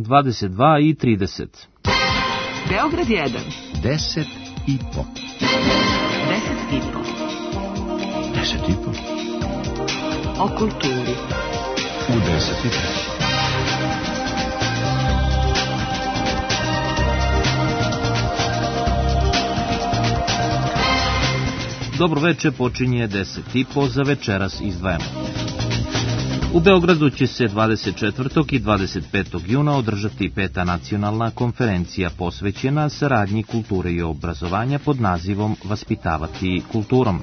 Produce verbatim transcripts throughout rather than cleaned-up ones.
dvadeset dva i trideset. Beograd jedan. Deset i po. Deset i po. Deset i po. O kulturi. U deset i po. Dobro veče, počinje deset i po, za večeras izdvajamo. U Beogradu će se dvadeset četvrtog i dvadeset petog juna održati peta nacionalna konferencija posvećena saradnji kulture i obrazovanja pod nazivom Vaspitavati kulturom.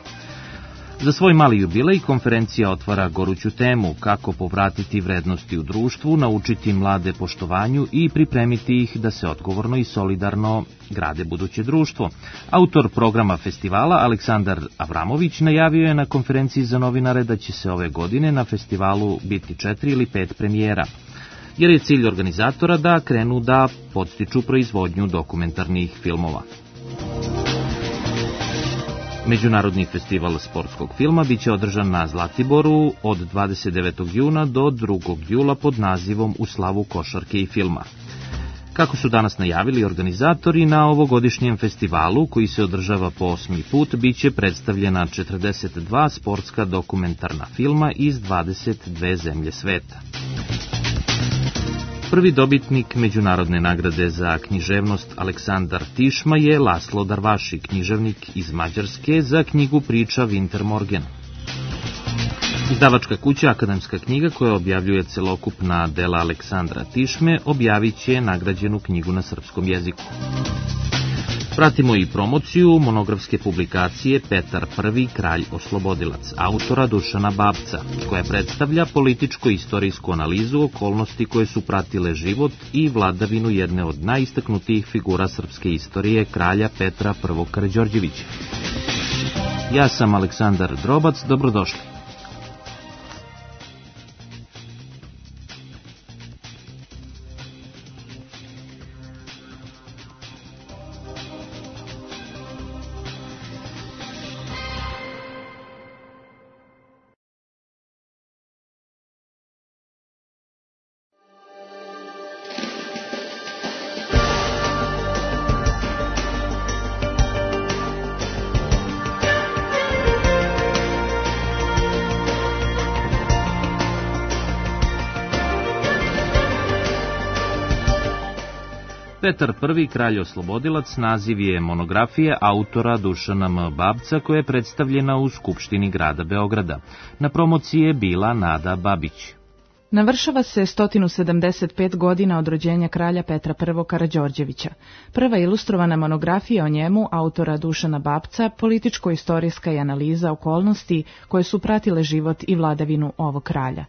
Za svoj mali jubilej konferencija otvara goruću temu kako povratiti vrednosti u društvu, naučiti mlade poštovanju i pripremiti ih da se odgovorno i solidarno grade buduće društvo. Autor programa festivala Aleksandar Avramović najavio je na konferenciji za novinare da će se ove godine na festivalu biti četiri ili pet premijera, jer je cilj organizatora da krenu da podstiču proizvodnju dokumentarnih filmova. Međunarodni festival sportskog filma biće održan na Zlatiboru od dvadeset devetog juna do drugog jula pod nazivom U slavu košarke i filma. Kako su danas najavili organizatori, na ovogodišnjem festivalu, koji se održava po osmi put, biće predstavljena četrdeset dva sportska dokumentarna filma iz dvadeset dve zemlje sveta. Prvi dobitnik međunarodne nagrade za književnost Aleksandar Tišma je Laslo Darvaši, književnik iz Mađarske, za knjigu priča Winter Morgen. Izdavačka kuća Akademska knjiga, koja objavljuje celokupna dela Aleksandra Tišme, objavit će nagrađenu knjigu na srpskom jeziku. Pratimo i promociju monografske publikacije Petar Prvi, kralj oslobodilac, autora Dušana Babca, koja predstavlja političko-istorijsku analizu okolnosti koje su pratile život i vladavinu jedne od najistaknutijih figura srpske istorije, kralja Petra Prvog Karađorđevića. Ja sam Aleksandar Drobac, dobrodošli. Petar Prvi, kralj oslobodilac, naziv je monografije autora Dušana M. Babca, koja je predstavljena u Skupštini grada Beograda. Na promociji je bila Nada Babić. Navršava se sto sedamdeset pet godina od rođenja kralja Petra Prvog Karađorđevića. Prva ilustrovana monografija o njemu, autora Dušana Babca, političko-istorijska je analiza okolnosti koje su pratile život i vladavinu ovog kralja.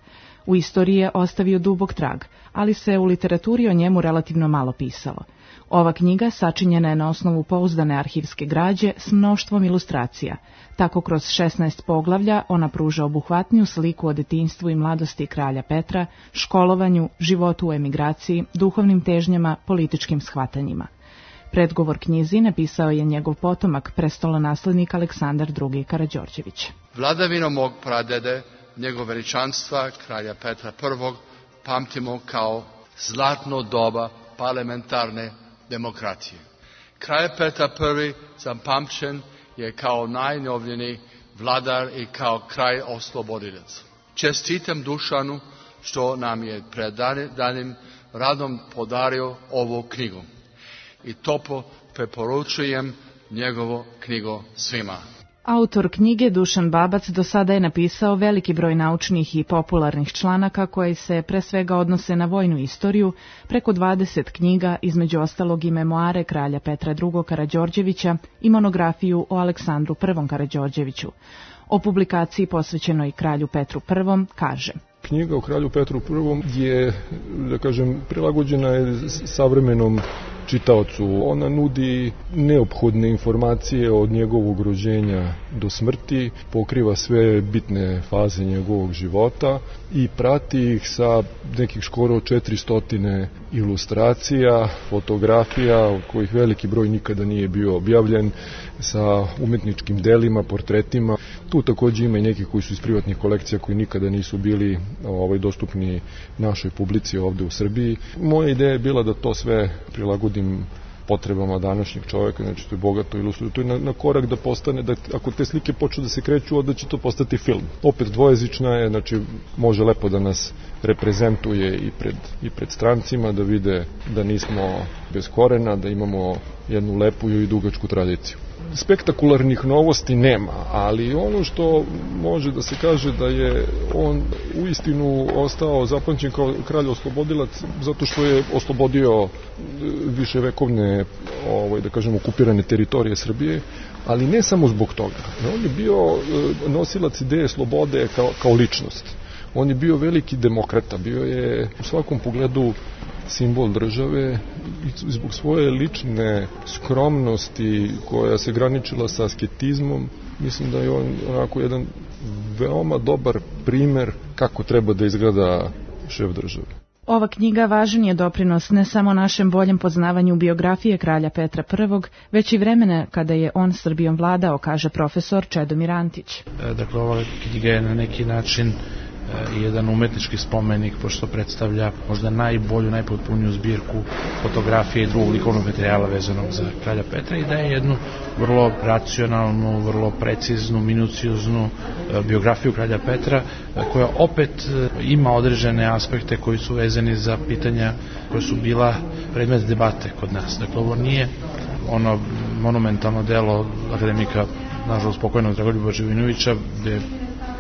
U istoriji je ostavio dubok trag, ali se u literaturi o njemu relativno malo pisalo. Ova knjiga sačinjena je na osnovu pouzdane arhivske građe s mnoštvom ilustracija. Tako kroz šesnaest poglavlja ona pruža obuhvatniju sliku o detinjstvu i mladosti kralja Petra, školovanju, životu u emigraciji, duhovnim težnjama, političkim shvatanjima. Predgovor knjizi napisao je njegov potomak, prestolonaslednik Aleksandar Drugi Karađorđević. Vladavinu mog pradede, njegov veličanstva, kralja Petra Prvog, pamtimo kao zlatno doba parlamentarne demokracije. Kralj Petar Prvi zapamćen je kao najnovljeniji vladar i kao kralj oslobodilac. Čestitam Dušanu što nam je predanim radom podario ovu knjigu i toplo preporučujem njegovu knjigu svima. Autor knjige Dušan Babac do sada je napisao veliki broj naučnih i popularnih članaka koji se pre svega odnose na vojnu istoriju, preko dvadeset knjiga, između ostalog i memoare kralja Petra Drugog Karađorđevića i monografiju o Aleksandru Prvom Karađorđeviću. O publikaciji posvećenoj kralju Petru Prvom kaže: Knjiga o kralju Petru Prvom je, da kažem, prilagođena je savremenom čitaocu. Ona nudi neophodne informacije od njegovog rođenja do smrti, pokriva sve bitne faze njegovog života i prati ih sa nekih skoro četiristo ilustracija, fotografija, od kojih veliki broj nikada nije bio objavljen, sa umetničkim delima, portretima. Tu takođe ima i neki koji su iz privatnih kolekcija koji nikada nisu bili ovaj, dostupni našoj publici ovde u Srbiji. Moja ideja je bila da to sve prilagodim potrebama današnjeg čoveka, znači to je bogato ilustrirano, to je na, na korak da postane, da ako te slike počnu da se kreću, onda će to postati film. Opet dvojezična je, znači može lepo da nas reprezentuje i pred, i pred strancima, da vide da nismo bez korena, da imamo jednu lepu i dugačku tradiciju. Spektakularnih novosti nema, ali ono što može da se kaže da je on uistinu ostao zapamćen kao kralj oslobodilac zato što je oslobodio viševekovne, ovaj, da kažem, okupirane teritorije Srbije, ali ne samo zbog toga. On je bio nosilac ideje slobode kao, kao ličnost. On je bio veliki demokrata, bio je u svakom pogledu simbol države i zbog svoje lične skromnosti koja se graničila sa asketizmom, mislim da je on onako jedan veoma dobar primer kako treba da izgleda šef države. Ova knjiga važan je doprinos ne samo našem boljem poznavanju biografije kralja Petra Prvog, već i vremena kada je on Srbijom vladao, kaže profesor Čedomir Antić. Dakle, ova knjiga je na neki način jedan umetnički spomenik, pošto predstavlja možda najbolju, najpotpuniju zbirku fotografije i drugog likovnog materijala vezanog za kralja Petra i da je jednu vrlo racionalnu, vrlo preciznu, minucioznu biografiju kralja Petra, koja opet ima određene aspekte koji su vezani za pitanja koje su bila predmet debate kod nas. Dakle, ovo nije ono monumentalno delo akademika, nažalost pokojnog Dragoljuba Živinovića, gde je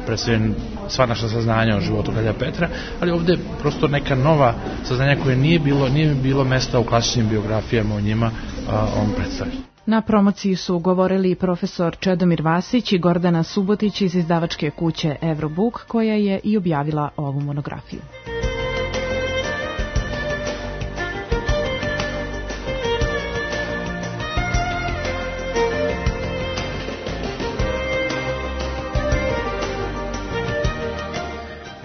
predstavljen sva naša saznanja o životu kralja Petra, ali ovde je prosto neka nova saznanja koje nije bilo, nije bilo mesta u klasičnim biografijama o njima, a on predstavlja. Na promociji su govorili profesor Čedomir Vasić i Gordana Subotić iz izdavačke kuće Eurobook, koja je i objavila ovu monografiju.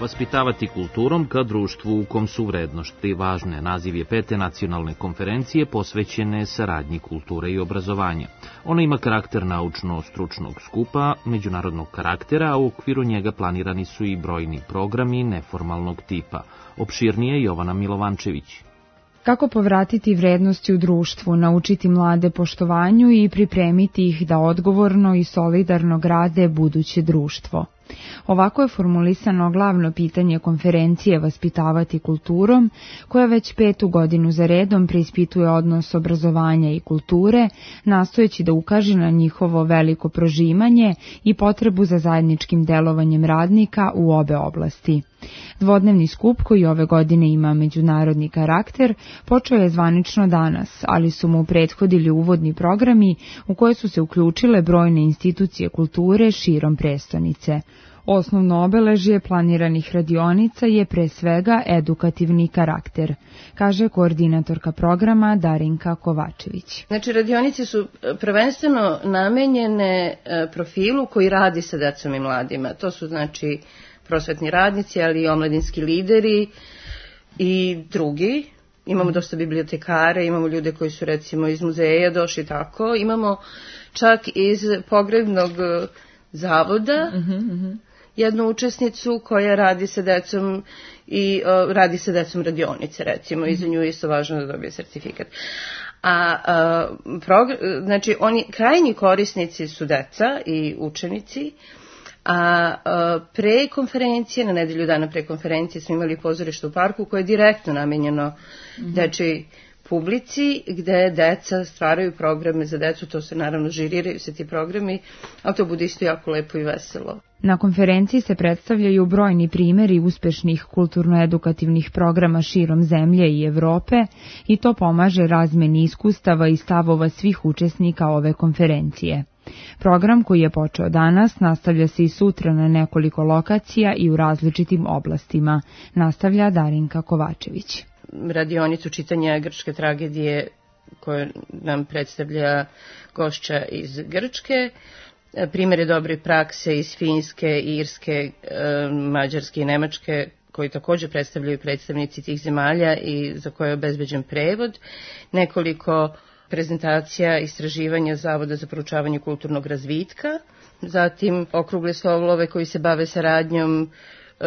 Vaspitavati kulturom ka društvu u kom su vrednosti važne. Naziv je pete nacionalne konferencije posvećene saradnji kulture i obrazovanja. Ona ima karakter naučno-stručnog skupa, međunarodnog karaktera, a u okviru njega planirani su i brojni programi neformalnog tipa. Opširnije Jovana Milovančević. Kako povratiti vrednosti u društvu, naučiti mlade poštovanju i pripremiti ih da odgovorno i solidarno grade buduće društvo. Ovako je formulisano glavno pitanje konferencije Vaspitavati kulturom, koja već petu godinu za redom preispituje odnos obrazovanja i kulture, nastojeći da ukaže na njihovo veliko prožimanje i potrebu za zajedničkim delovanjem radnika u obe oblasti. Dvodnevni skup, koji ove godine ima međunarodni karakter, počeo je zvanično danas, ali su mu prethodili uvodni programi u koje su se uključile brojne institucije kulture širom prestonice. Osnovno obeležje planiranih radionica je pre svega edukativni karakter, kaže koordinatorka programa Darinka Kovačević. Znači, radionice su prvenstveno namenjene profilu koji radi sa decom i mladima. To su, znači, prosvetni radnici, ali i omladinski lideri i drugi. Imamo dosta bibliotekare, imamo ljude koji su recimo iz muzeja došli tako. Imamo čak iz pogrebnog zavoda uh-huh. jednu učesnicu koja radi sa decom i uh, radi sa decom radionice recimo. I za nju je isto važno da dobije sertifikat. A, a progr- znači oni krajnji korisnici su deca i učenici. A, a pre konferencije, na nedelju dana pre konferencije smo imali pozorište u parku koje je direktno namenjeno mm-hmm. dečoj publici, gde deca stvaraju programe za decu, to se naravno žiriraju se ti programi, ali to bude isto jako lepo i veselo. Na konferenciji se predstavljaju brojni primeri uspešnih kulturno-edukativnih programa širom zemlje i Evrope i to pomaže razmeni iskustava i stavova svih učesnika ove konferencije. Program koji je počeo danas nastavlja se i sutra na nekoliko lokacija i u različitim oblastima, nastavlja Darinka Kovačević. Radionicu čitanja grčke tragedije koju nam predstavlja gošća iz Grčke, primjere dobre prakse iz Finske, Irske, Mađarske i Nemačke koji također predstavljaju predstavnici tih zemalja i za koje je obezbeđen prevod, nekoliko prezentacija istraživanja Zavoda za proučavanje kulturnog razvitka, zatim okrugle stolove koji se bave saradnjom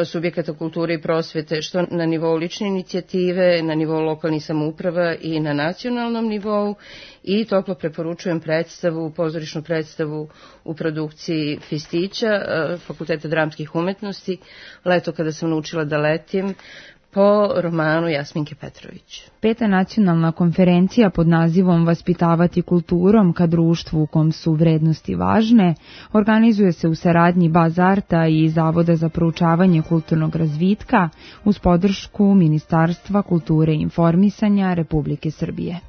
subjekata kulture i prosvete, što na nivou lične inicijative, na nivou lokalnih samouprava i na nacionalnom nivou, i toplo preporučujem predstavu, pozorišnu predstavu u produkciji Fistića, Fakulteta dramskih umetnosti, Leto kada sam naučila da letim, po romanu Jasminke Petrović. Peta nacionalna konferencija pod nazivom Vaspitavati kulturom ka društvu u kom su vrednosti važne organizuje se u saradnji Bazarta i Zavoda za proučavanje kulturnog razvitka uz podršku Ministarstva kulture i informisanja Republike Srbije.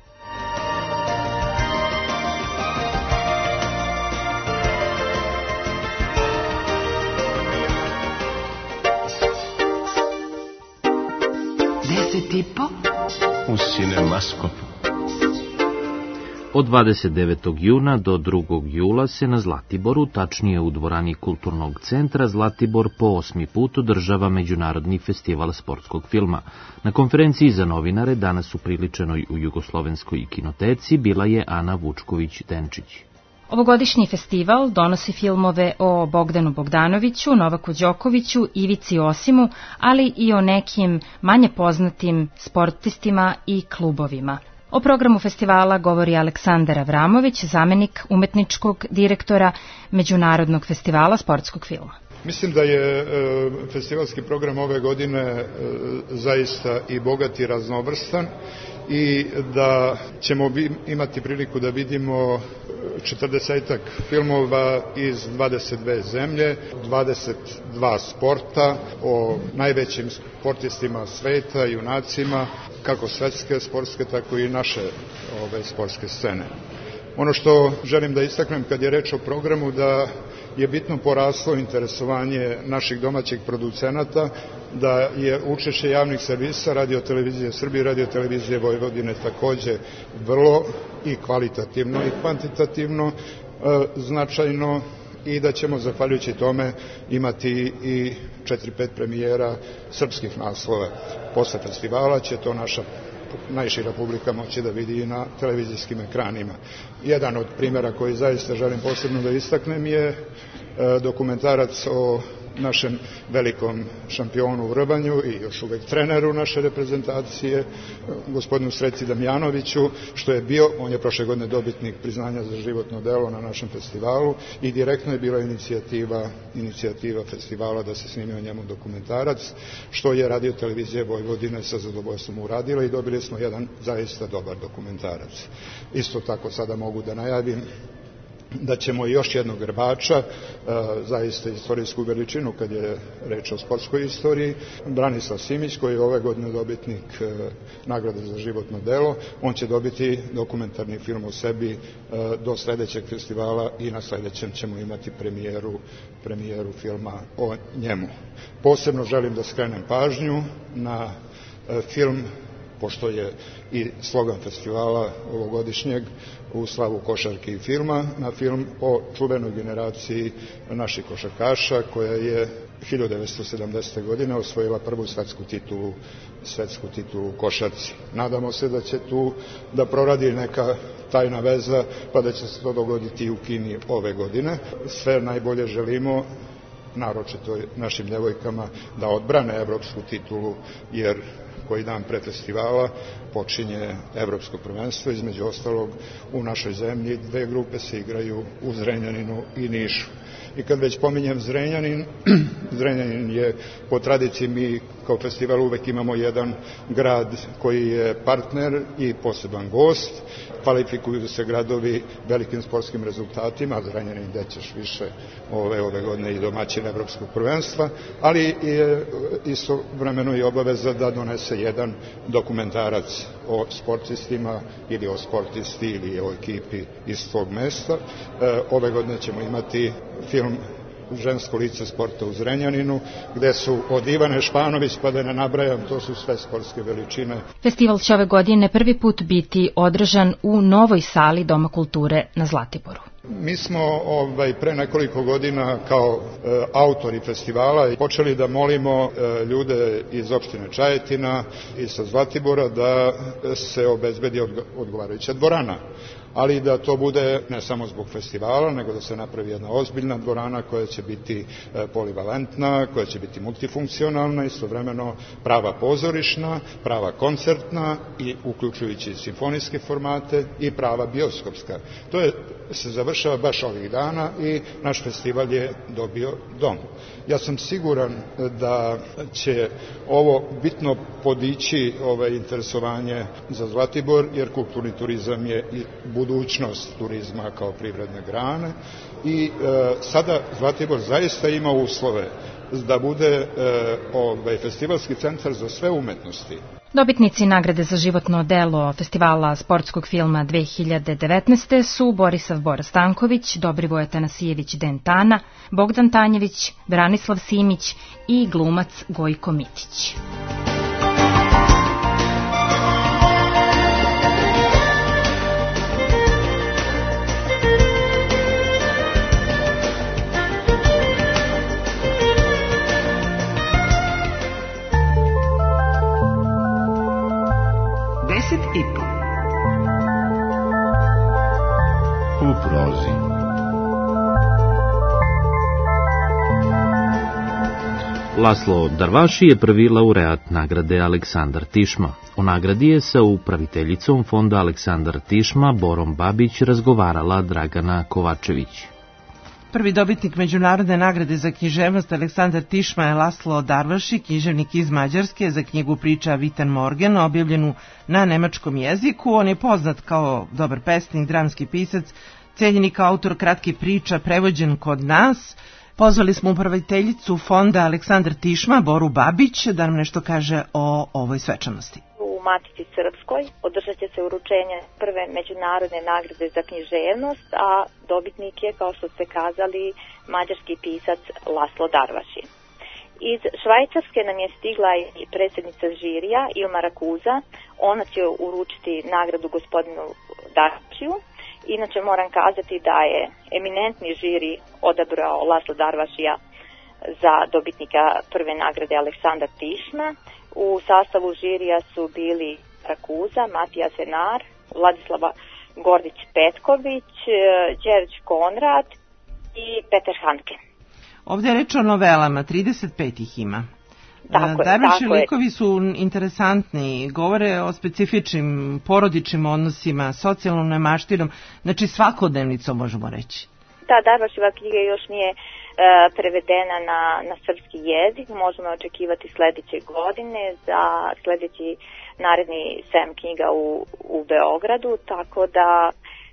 U Cinemaskopu. Od dvadeset devetog juna do drugog jula se na Zlatiboru, tačnije u dvorani Kulturnog centra Zlatibor, po osmi put održava Međunarodni festival sportskog filma. Na konferenciji za novinare danas upriličenoj u Jugoslovenskoj kinoteci bila je Ana Vučković-Denčić. Ovogodišnji festival donosi filmove o Bogdanu Bogdanoviću, Novaku Đokoviću, Ivici Osimu, ali i o nekim manje poznatim sportistima i klubovima. O programu festivala govori Aleksandar Avramović, zamenik umetničkog direktora Međunarodnog festivala sportskog filma. Mislim da je e, festivalski program ove godine e, zaista i bogat i raznovrstan i da ćemo bi, imati priliku da vidimo četrdesetak filmova iz dvadeset dve zemlje, dvadeset dva sporta, o najvećim sportistima sveta, junacima, kako svetske sportske, tako i naše ove sportske scene. Ono što želim da istaknem kad je reč o programu, da je bitno poraslo interesovanje naših domaćih producenata, da je učešće javnih servisa, Radio televizije Srbije i Radio televizije Vojvodine takođe vrlo i kvalitativno i kvantitativno e, značajno, i da ćemo zahvaljujući tome imati i četiri pet premijera srpskih naslova. Posle festivala će to naša najšira publika moći da vidi i na televizijskim ekranima. Jedan od primjera koji zaista želim posebno da istaknem je dokumentarac o našem velikom šampionu u rvanju i još uvek treneru naše reprezentacije, gospodinu Sreci Damjanoviću, što je bio, on je prošle godine dobitnik priznanja za životno delo na našem festivalu i direktno je bila inicijativa, inicijativa festivala da se snimi o njemu dokumentarac, što je Radio televizija Vojvodine sa zadovoljstvom uradila i dobili smo jedan zaista dobar dokumentarac. Isto tako sada mogu da najavim da ćemo još jednog grbača, zaista istorijsku veličinu kad je reč o sportskoj istoriji, Branislav Simić, koji je ove godine dobitnik nagrade za životno delo, on će dobiti dokumentarni film o sebi do sledećeg festivala i na sledećem ćemo imati premijeru, premijeru filma o njemu. Posebno želim da skrenem pažnju na film, pošto je i slogan festivala ovogodišnjeg u slavu košarke i filma, na film o čuvenoj generaciji naših košarkaša koja je hiljadu devetsto sedamdesete. godine osvojila prvu svetsku titulu, svetsku titulu u košarci. Nadamo se da će tu da proradi neka tajna veza, pa da će se to dogoditi i u Kini ove godine. Sve najbolje želimo, naročito našim djevojkama, da odbrane evropsku titulu, jer koji dan pre festivala počinje evropsko prvenstvo, između ostalog u našoj zemlji dve grupe se igraju u Zrenjaninu i Nišu. I kad već pominjem Zrenjanin, Zrenjanin je po tradiciji, mi kao festival uvek imamo jedan grad koji je partner i poseban gost, kvalifikuju se gradovi velikim sportskim rezultatima, Zrenjanin gde ćeš više ove, ove godine i domaćin evropskog prvenstva, ali je istovremeno i obaveza da donese jedan dokumentarac o sportistima ili o sportisti ili o ekipi iz tog mesta. Ove godine ćemo imati film Žensko lice sporta u Zrenjaninu, gde su od Ivane Španović, pa da ne nabrajam, to su sve sportske veličine. Festival će ove godine prvi put biti održan u novoj sali Doma kulture na Zlatiboru. Mi smo ovaj, pre nekoliko godina kao e, autori festivala počeli da molimo e, ljude iz opštine Čajetina i sa Zlatibora da se obezbedi odgovarajuća dvorana, ali da to bude ne samo zbog festivala, nego da se napravi jedna ozbiljna dvorana koja će biti e, polivalentna, koja će biti multifunkcionalna, istovremeno prava pozorišna, prava koncertna i uključujući simfonijske formate i prava bioskopska. To je se završava baš ovih dana i naš festival je dobio dom. Ja sam siguran da će ovo bitno podići ovaj interesovanje za Zlatibor, jer kulturni turizam je i budućnost turizma kao privredne grane i e, sada Zlatibor zaista ima uslove da bude e, ovaj festivalski centar za sve umetnosti. Dobitnici nagrade za životno delo Festivala sportskog filma dve hiljade devetnaeste. su Borisav Bora Stanković, Dobrivoje Tanasijević Dentana, Bogdan Tanjević, Branislav Simić i glumac Gojko Mitić. I po. U prozi. Laslo Darvaši je prvi laureat nagrade Aleksandar Tišma. O nagradi je sa upraviteljicom fonda Aleksandar Tišma Borom Babić razgovarala Dragana Kovačević. Prvi dobitnik međunarodne nagrade za književnost Aleksandar Tišma je Laslo Darvaši, književnik iz Mađarske, za knjigu Priča Vitan Morgen, objavljenu na nemačkom jeziku. On je poznat kao dobar pesnik, dramski pisac, cenjeni kao autor kratkih priča, prevođen kod nas. Pozvali smo upraviteljicu fonda Aleksandar Tišma, Boru Babić, da nam nešto kaže o ovoj svečanosti. U Matici Srpskoj održat će se uručenje prve međunarodne nagrade za književnost, a dobitnik je, kao što ste kazali, mađarski pisac Laslo Darvaši. Iz Švajcarske nam je stigla i predsjednica žirija Ilma Rakuza. Ona će uručiti nagradu gospodinu Darvašiju. Inače moram kazati da je eminentni žiri odabrao Laslo Darvašija za dobitnika prve nagrade Aleksandar Tišma. U sastavu žirija su bili Rakuza, Matija Senar, Vladislava Gordić-Petković, Đerđ Konrad i Petar Hanke. Ovdje je reč o novelama, trideset pet ih ima. Tako je, Darvaši tako je. likovi su interesantni, govore o specifičnim porodičnim odnosima, socijalnom nemaštinom, znači svakodnevnicom možemo reći. Da, Darvaševa knjiga još nije e, prevedena na, na srpski jezik, možemo očekivati sledeće godine za sledeći naredni sajam knjiga u, u Beogradu, tako da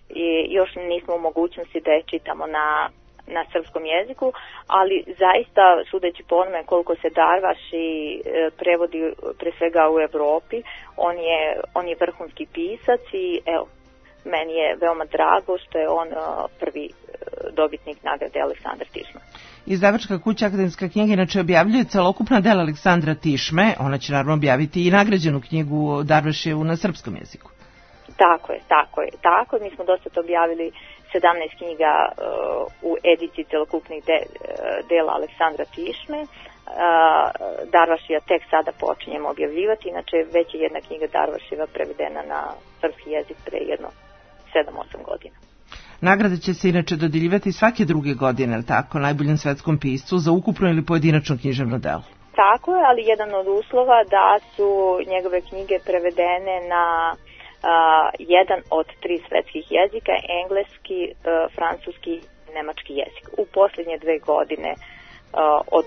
je, još nismo u mogućnosti da je čitamo na na srpskom jeziku, ali zaista, sudeći po onome koliko se Darvaši e, prevodi pre svega u Evropi, on je, on je vrhunski pisac i evo, meni je veoma drago što je on e, prvi e, dobitnik nagrade Aleksandar Tišma. Izdavačka kuća Akademska knjiga inače objavljuje celokupna dela Aleksandra Tišme, ona će naravno objaviti i nagrađenu knjigu Darvašijevu na srpskom jeziku. Tako je, tako je, tako je. Mi smo dosta objavili sedamnaest knjiga uh, u ediciji celokupnih de, uh, dela Aleksandra Tišme. Uh, Darvašija tek sada počinjemo objavljivati, inače već je jedna knjiga Darvašijeva prevedena na srpski jezik pre jedno sedam osam godina. Nagrada će se inače dodjeljivati svake druge godine, ali tako, najboljem svetskom piscu za ukupno ili pojedinačno književno delo. Tako je, ali jedan od uslova da su njegove knjige prevedene na Uh, jedan od tri svetskih jezika, engleski, uh, francuski i nemački jezik, u posljednje dve godine uh, od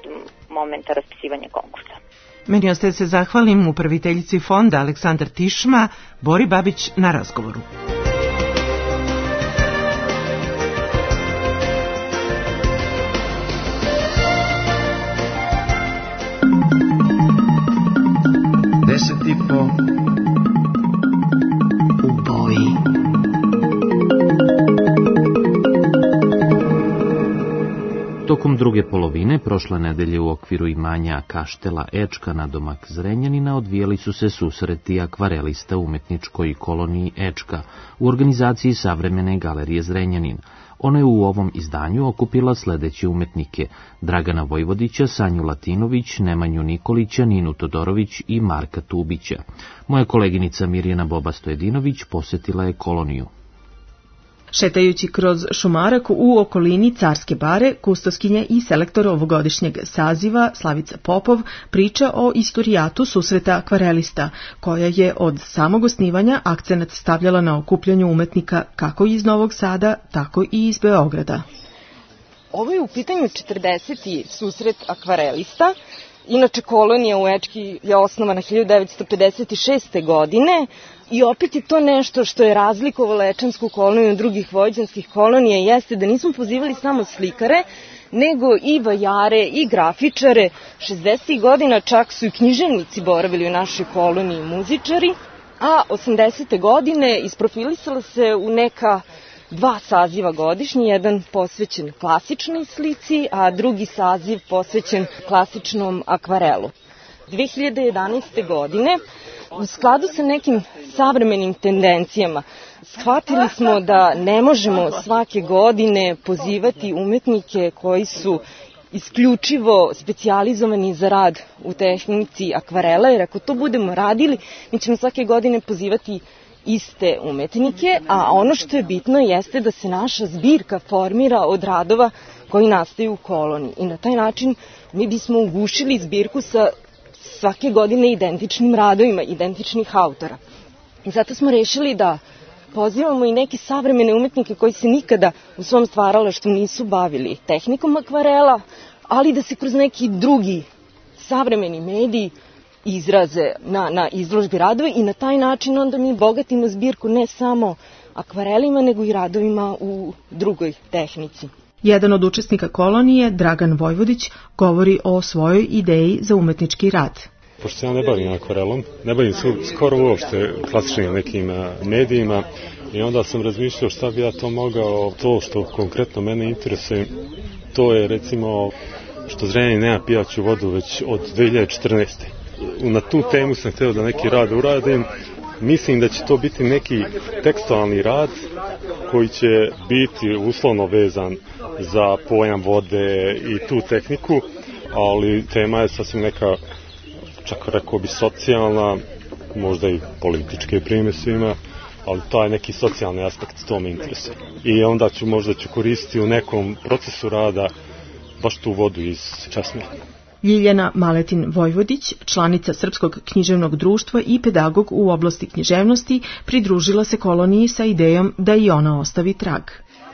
momenta raspisivanja konkursa. Meni ostaje se zahvalim upraviteljici fonda Aleksandar Tišma, Bori Babić, na razgovoru. Deset i po. Tokom druge polovine prošle nedelje u okviru imanja Kaštela Ečka na domak Zrenjanina odvijali su se susreti akvarelista u umetničkoj koloniji Ečka u organizaciji Savremene galerije Zrenjanin. Ona je u ovom izdanju okupila sledeće umetnike: Dragana Vojvodića, Sanju Latinović, Nemanju Nikolića, Ninu Todorović i Marka Tubića. Moja koleginica Mirjana Boba-Stojedinović posetila je koloniju. Šetajući kroz Šumarak u okolini Carske bare, kustoskinja i selektor ovogodišnjeg saziva Slavica Popov priča o istorijatu susreta akvarelista, koja je od samog osnivanja akcenat stavljala na okupljanju umetnika kako iz Novog Sada, tako i iz Beograda. Ovo je u pitanju četrdeseti susret akvarelista. Inače, kolonija u Ečki je osnovana hiljadu devetsto pedeset šeste. godine i opet je to nešto što je razlikovalo Ečansku koloniju od drugih vojvođanskih kolonija, jeste da nismo pozivali samo slikare, nego i vajare i grafičare. šezdesetih godina čak su i književnici boravili u našoj koloniji, muzičari, a osamdesete godine isprofilisala se u neka dva saziva godišnji, jedan posvećen klasičnoj slici, a drugi saziv posvećen klasičnom akvarelu. dve hiljade jedanaeste. godine, u skladu sa nekim savremenim tendencijama, shvatili smo da ne možemo svake godine pozivati umetnike koji su isključivo specijalizovani za rad u tehnici akvarela, jer ako to budemo radili, mi ćemo svake godine pozivati iste umetnike, a ono što je bitno jeste da se naša zbirka formira od radova koji nastaju u koloniji. I na taj način mi bismo ugušili zbirku sa svake godine identičnim radovima, identičnih autora. I zato smo rešili da pozivamo i neke savremene umetnike koji se nikada u svom stvaralaštvu nisu bavili tehnikom akvarela, ali da se kroz neki drugi savremeni mediji izraze na, na izložbi radova i na taj način onda mi bogatimo zbirku ne samo akvarelima, nego i radovima u drugoj tehnici. Jedan od učesnika kolonije, Dragan Vojvodić, govori o svojoj ideji za umetnički rad. Pošto se ja ne bavim akvarelom, ne bavim se skoro uopšte klasičnim nekim medijima, i onda sam razmišljao šta bi ja to mogao, to što konkretno mene interesuje, to je recimo što Zrenjanin nema pijaću vodu već od dve hiljade četrnaeste. Na tu temu sam hteo da neki rad uradim. Mislim da će to biti neki tekstualni rad koji će biti uslovno vezan za pojam vode i tu tehniku, ali tema je sasvim neka, čak rekao bi socijalna, možda i političke primesima, ali taj neki socijalni aspekt to me interesuje. I onda ću možda ću koristiti u nekom procesu rada baš tu vodu iz česme. Ljiljana Maletin Vojvodić, članica Srpskog književnog društva i pedagog u oblasti književnosti, pridružila se koloniji sa idejom da i ona ostavi trag.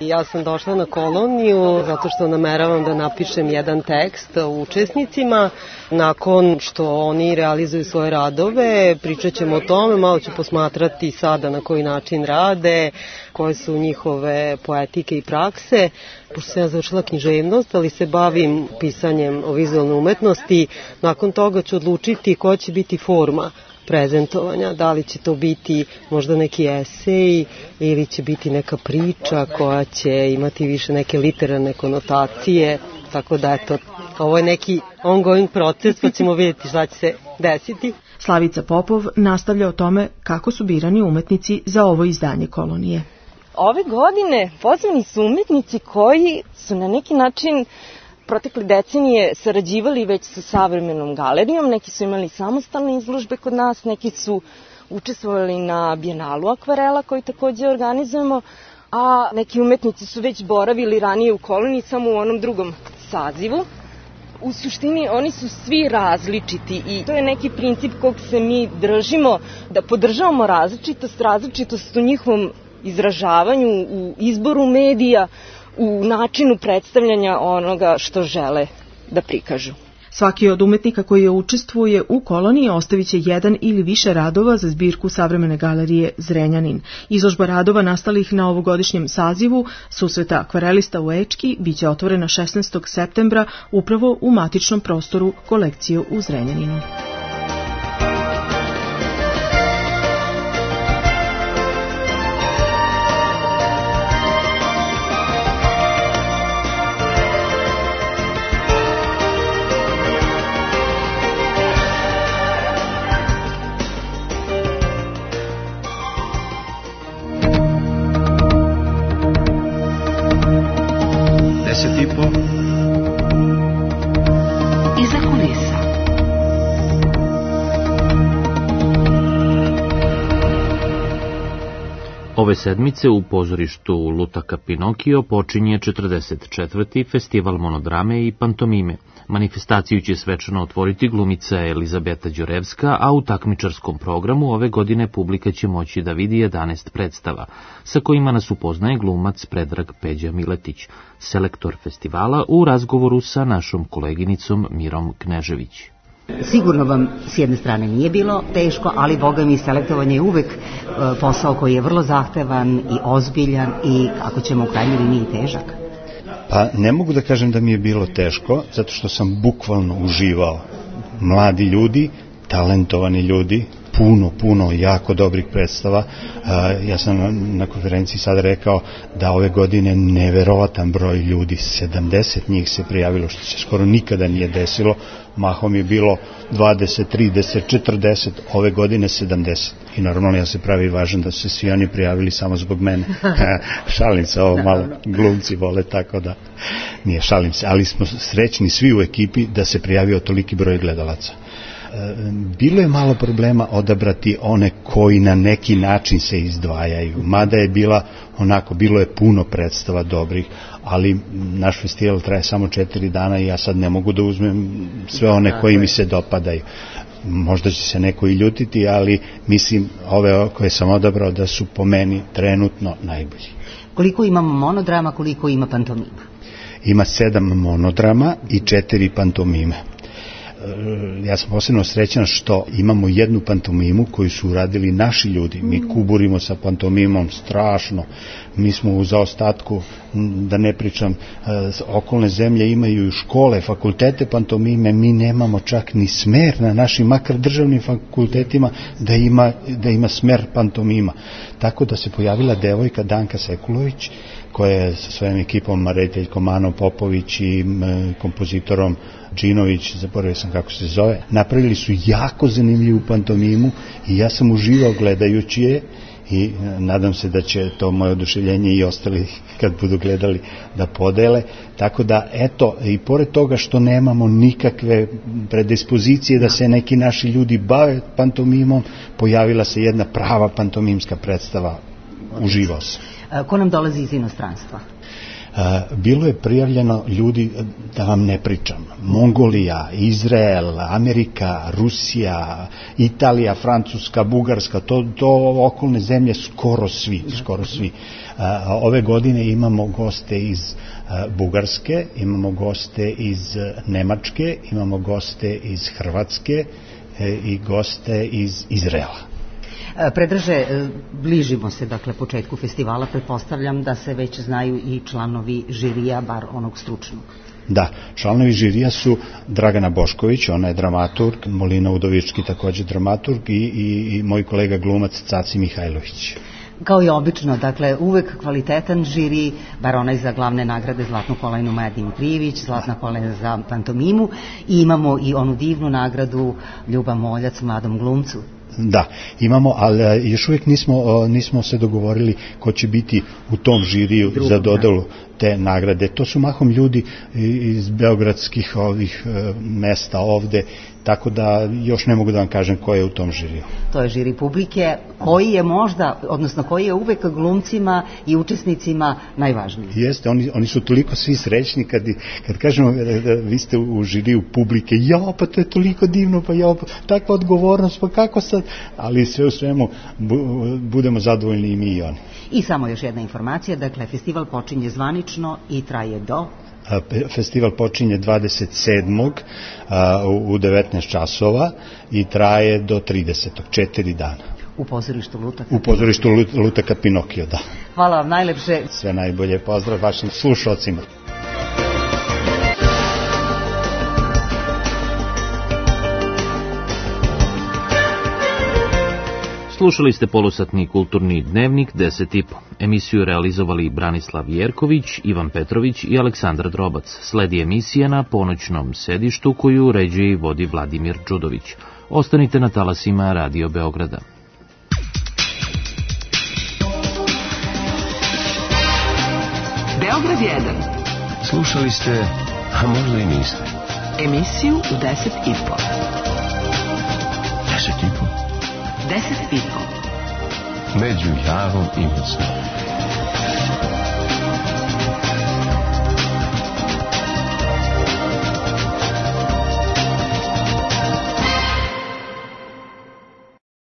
Ja sam došla na koloniju zato što nameravam da napišem jedan tekst o učesnicima. Nakon što oni realizuju svoje radove, pričat ćemo o tome, malo ću posmatrati sada na koji način rade, koje su njihove poetike i prakse. Pošto sam ja završila književnost, ali se bavim pisanjem o vizualnoj umetnosti, nakon toga ću odlučiti koja će biti forma prezentovanja, da li će to biti možda neki esej ili će biti neka priča koja će imati više neke literarne konotacije, tako da eto, ovo je neki ongoing proces, pa ćemo vidjeti šta će se desiti. Slavica Popov nastavlja o tome kako su birani umetnici za ovo izdanje kolonije. Ove godine pozvani su umetnici koji su na neki način protekle decenije sarađivali već sa savremenom galerijom, neki su imali samostalne izložbe kod nas, neki su učestvovali na Bijenalu akvarela koji takođe organizujemo, a neki umetnici su već boravili ranije u koloniji samo u onom drugom sazivu. U suštini oni su svi različiti i to je neki princip kog se mi držimo, da podržavamo različitost, različitost u njihovom izražavanju, u izboru medija, u načinu predstavljanja onoga što žele da prikažu. Svaki od umetnika koji učestvuje u koloniji ostavit će jedan ili više radova za zbirku Savremene galerije Zrenjanin. Izložba radova nastalih na ovogodišnjem sazivu susreta akvarelista u Ečki biće otvorena šesnaestog septembra upravo u matičnom prostoru kolekcije u Zrenjaninu. Ove sedmice u pozorištu Lutaka Pinokio počinje četrdeset četvrti festival monodrame i pantomime. Manifestaciju će svečano otvoriti glumica Elizabeta Đorevska, a u takmičarskom programu ove godine publika će moći da vidi jedanaest predstava, sa kojima nas upoznaje glumac Predrag Peđa Miletić, selektor festivala, u razgovoru sa našom koleginicom Mirom Knežević. Sigurno vam s jedne strane nije bilo teško, ali boga mi selektovanje je uvek e, posao koji je vrlo zahtevan i ozbiljan i, ako ćemo u krajnjoj liniji, težak. Pa ne mogu da kažem da mi je bilo teško, zato što sam bukvalno uživao. Mladi ljudi, talentovani ljudi, puno, puno jako dobrih predstava. Ja sam na konferenciji sada rekao da ove godine neverovatan broj ljudi, sedamdeset njih se prijavilo, što se skoro nikada nije desilo. Mahom je bilo dvadeset, trideset, četrdeset, ove godine sedamdeset. I normalno ja se pravi važan da su se svi oni prijavili samo zbog mene. Šalim se, ovo malo glumci vole, tako da nije, šalim se, ali smo srećni svi u ekipi da se prijavio toliki broj gledalaca. Bilo je malo problema odabrati one koji na neki način se izdvajaju, mada je bila onako, bilo je puno predstava dobrih, ali naš festival traje samo četiri dana i ja sad ne mogu da uzmem sve one koji mi se dopadaju. Možda će se neko i ljutiti, ali mislim ove koje sam odabrao da su po meni trenutno najbolji. Koliko imamo monodrama, koliko ima pantomima? Ima sedam monodrama i četiri pantomime. Ja sam posebno srećan što imamo jednu pantomimu koju su uradili naši ljudi. Mi kuburimo sa pantomimom strašno. Mi smo u zaostatku, da ne pričam, okolne zemlje imaju škole, fakultete pantomime, mi nemamo čak ni smer na našim, makar državnim fakultetima, da ima, da ima smer pantomima. Tako da se pojavila devojka Danka Sekulović, koja je sa svojim ekipom, rediteljkom Anom Popović i kompozitorom Džinović, zaboravio sam kako se zove, napravili su jako zanimljivu pantomimu i ja sam uživao gledajući je i nadam se da će to moje oduševljenje i ostali kad budu gledali da podele. Tako da, eto, i pored toga što nemamo nikakve predispozicije da se neki naši ljudi bave pantomimom, pojavila se jedna prava pantomimska predstava. Uživao sam. Ko nam dolazi iz inostranstva? Bilo je prijavljeno ljudi, da vam ne pričam, Mongolija, Izrael, Amerika, Rusija, Italija, Francuska, Bugarska, to, to okolne zemlje, skoro svi, skoro svi. Ove godine imamo goste iz Bugarske, imamo goste iz Nemačke, imamo goste iz Hrvatske i goste iz Izraela. Predraže, bližimo se dakle početku festivala, pretpostavljam da se već znaju i članovi žirija, bar onog stručnog. Da, članovi žirija su Dragana Bošković, ona je dramaturg, Molina Udovički takođe dramaturg i, i, i moj kolega glumac Caci Mihajlović. Kao i obično, dakle, uvek kvalitetan žiri, bar onaj za glavne nagrade Zlatnu kolajnu Maja Dimitrijević, Zlatna kolajna za pantomimu, i imamo i onu divnu nagradu Ljuba Moljac mladom glumcu. Da, imamo, ali još uvijek nismo, nismo se dogovorili ko će biti u tom žiriju Drugo, za dodelu te nagrade. To su mahom ljudi iz beogradskih ovih mesta ovde, tako da još ne mogu da vam kažem ko je u tom žiriju. To je žiri publike, koji je možda, odnosno koji je uvek glumcima i učesnicima najvažniji. Jeste, oni, oni su toliko svi srećni kad, kad kažemo da vi ste u žiriju publike, ja, pa to je toliko divno, pa ja, pa, takva odgovornost, pa kako sad, ali sve u svemu bu, budemo zadovoljni i mi i oni. I samo još jedna informacija, dakle, festival počinje zvanično i traje do... Festival počinje dvadeset sedmog u devetnaest časova i traje do tridesetog, četiri dana. U pozorištu Lutaka? U pozorištu Lutaka Pinokio, da. Hvala vam najlepše. Sve najbolje, pozdrav vašim slušalcima. Slušali ste polusatni kulturni dnevnik deset i po. Emisiju realizovali Branislav Jerković, Ivan Petrović i Aleksandar Drobac. Sledi emisija na ponoćnom sedištu koju uređuje i vodi Vladimir Đudović. Ostanite na talasima Radio Beograda. Beograd jedan. Slušali ste, a možda i niste. Emisiju u deset i po. Deset i po? Deset i po. među jarom i mocnom.